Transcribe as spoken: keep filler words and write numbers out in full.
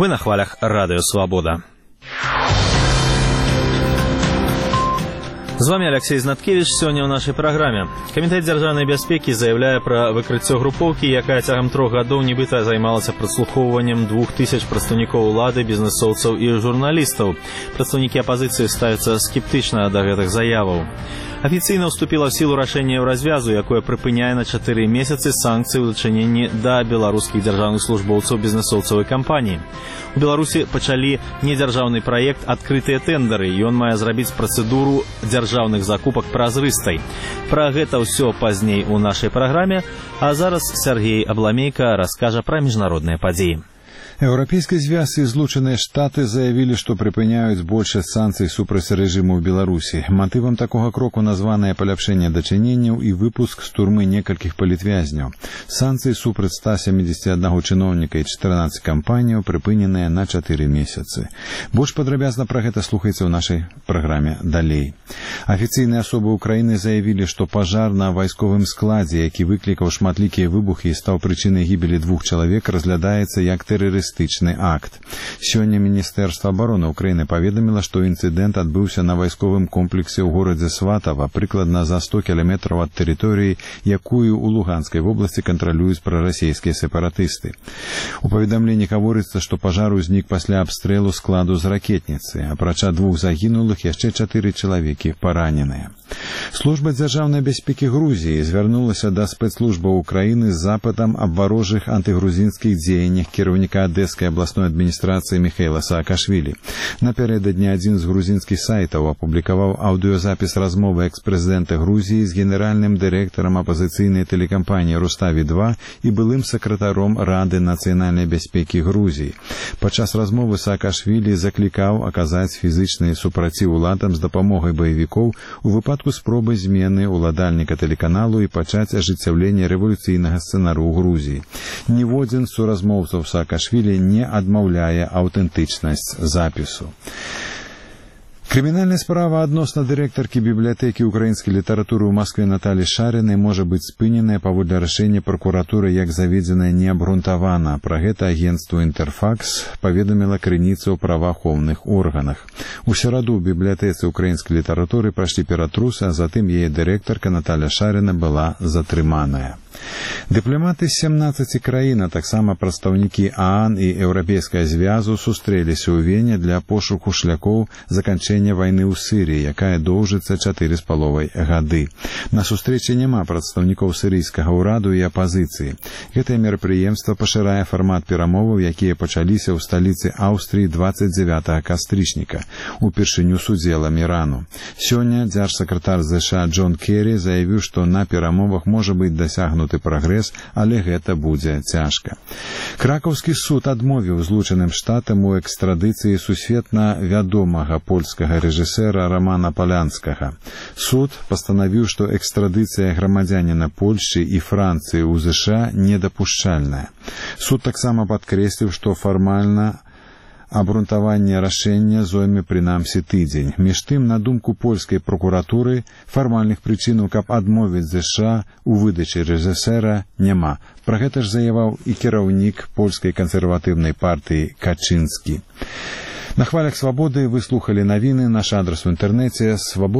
Вы на хвалях Радио Свобода. З вами Алексей Знаткевич. Сёння ў нашай праграме. Камітэт дзяржаўнай бяспекі заяўляе пра выкрыццё групоўкі, якая цягам трох гадоў нібыта займалася праслухоўваннем двух тысяч прадстаўнікоў улады, бізнэсоўцаў і журналістаў. Прадстаўнікі апазіцыі ставяцца скептычна да гэтых заяваў. Афіцыйна ўступіла ў сілу рашэнне Еўразвязу, якое прыпыняе на чатыры месяцы санкцыі ў дачыненні да беларускіх дзяржаўных службоўцаў, бізнэсоўцаў і кампаній. У Беларусі пачалі недзяржаўны праект «Адкрытыя тэндары». Ён мае зрабіць працэдуру дзяржаўных закупак празрыстай. Пра гэта ўсё пазней у нашай праграме, а зараз Сергей Абламейка раскажа пра міжнародныя падзеі. Еўрапейскі звяз і Злучаныя Штаты заявілі, што прыпыняюць большасць санкцый супраць рэжыму ў Беларусі. Матывам такога кроку названае паляпшэнне дачыненняў і выпуск з турмы некалькіх палітвязняў. Санкцыі супраць ста сямідзесяці аднаго чыноўніка і чатырнаццаці кампаніяў прыпыненыя на чатыры месяцы. Больш падрабязна пра гэта слухайце ў нашай праграме далей. Афіцыйныя асобы Украіны заявілі, што пажар на вайсковым складзе, які выклікаў шматлікія выбухі і стаў прычынай гібелі двух чалавек, разглядаецца як тэрарыстычны акт. Сёння Міністэрства абароны Украіны паведаміла, што інцыдэнт адбыўся на вайсковым комплексе ў горадзе Сватава, прыкладна за сто кіламетраў ад тэрыторыі, якую ў Луганскай вобласці кантралююць прарасійскія сепаратысты. У паведамленні гаворыцца, што пажар узнік пасля абстрэлу складу з ракетніцы. Апрача двух загінулых, яшчэ чатыры чалавекі параненыя. Служба дзяржаўнай бяспекі Грузіі звярнулася да спецслужбаў Украіны з запытам аб варожых антыгрузінскіх дзеяннях кіраўніка Адэскай абласной адміністрацыі Міхаіла Саакашвілі. Напярэдадні адзін з грузінскіх сайтаў апублікаваў аўдыёзапіс размовы экс-прэзідэнта Грузіі з генеральным дырэктарам апазіцыйнай тэлекампаніі Руставі два і былым сакратаром Рады нацыянальнай бяспекі Грузіі. Падчас размовы Саакашвілі заклікаў аказаць фізычны супраціў уладам з дапамогай баевікоў у выпадку спробы змены ўладальніка тэлеканалу і пачаць ажыццяўленне рэвалюцыйнага сцэнару ў Грузіі. Ніводзін з суразмоўцаў Саакашвілі не адмаўляе аўтэнтычнасць запісу. Крымінальная справа адносна дырэктаркі бібліятэкі украінскай літаратуры ў Маскве Наталі Шарынай можа быць спыненая паводле рашэння пракуратуры як заведзеная неабгрунтавана. Пра гэта агенцтву «Інтэрфакс» паведаміла крыніца ў праваахоўных органах. У сераду ў бібліятэцы украінскай літаратуры прайшлі ператрусы, а затым яе дырэктарка Наталя Шарына была затрыманая. Дыпламаты з сямнаццаці краін, а таксама прадстаўнікі ААН і Еўрапейскага звязу сустрэліся ў Вене для пошуку шляхоў заканчэння вайны ў Сірыі, якая доўжыцца чатыры з паловай гады. На сустрэчы няма прадстаўнікоў сірыйскага ўраду і апазіцыі. Гэтае мерапрыемства пашырае фармат перамоваў, якія пачаліся ў сталіцы Аўстрыі дваццаць дзявятага кастрычніка, упершыню з удзелам Ірану. Сёння дзяржсакратар ЗША Джон Керрі заявіў, што на перамовах можа быць дасягнуты прагрэс, але гэта будзе цяжка. Кракаўскі суд адмовіў Злучаным Штатам у экстрадыцыі сусветна вядомага польскага рэжысэра Рамана Палянскага. Суд пастанавіў, што экстрадыцыя грамадзяніна Польшчы і Францыі ў ЗША недапушчальная. Суд таксама падкрэсліў, што фармальна абгрунтаванне рашэння зойме прынамсі тыдзень. Між тым, на думку польскай прокуратуры, фармальных прычынаў, каб адмовіць ЗША у выдачы рэжысэра, няма. Пра гэта ж заяваў і кіраўнік польскай кансерватыўнай партыі Качынскі. На хвалях Свабоды вы слухалі навіны. Наш адрас у інтэрнэце свабода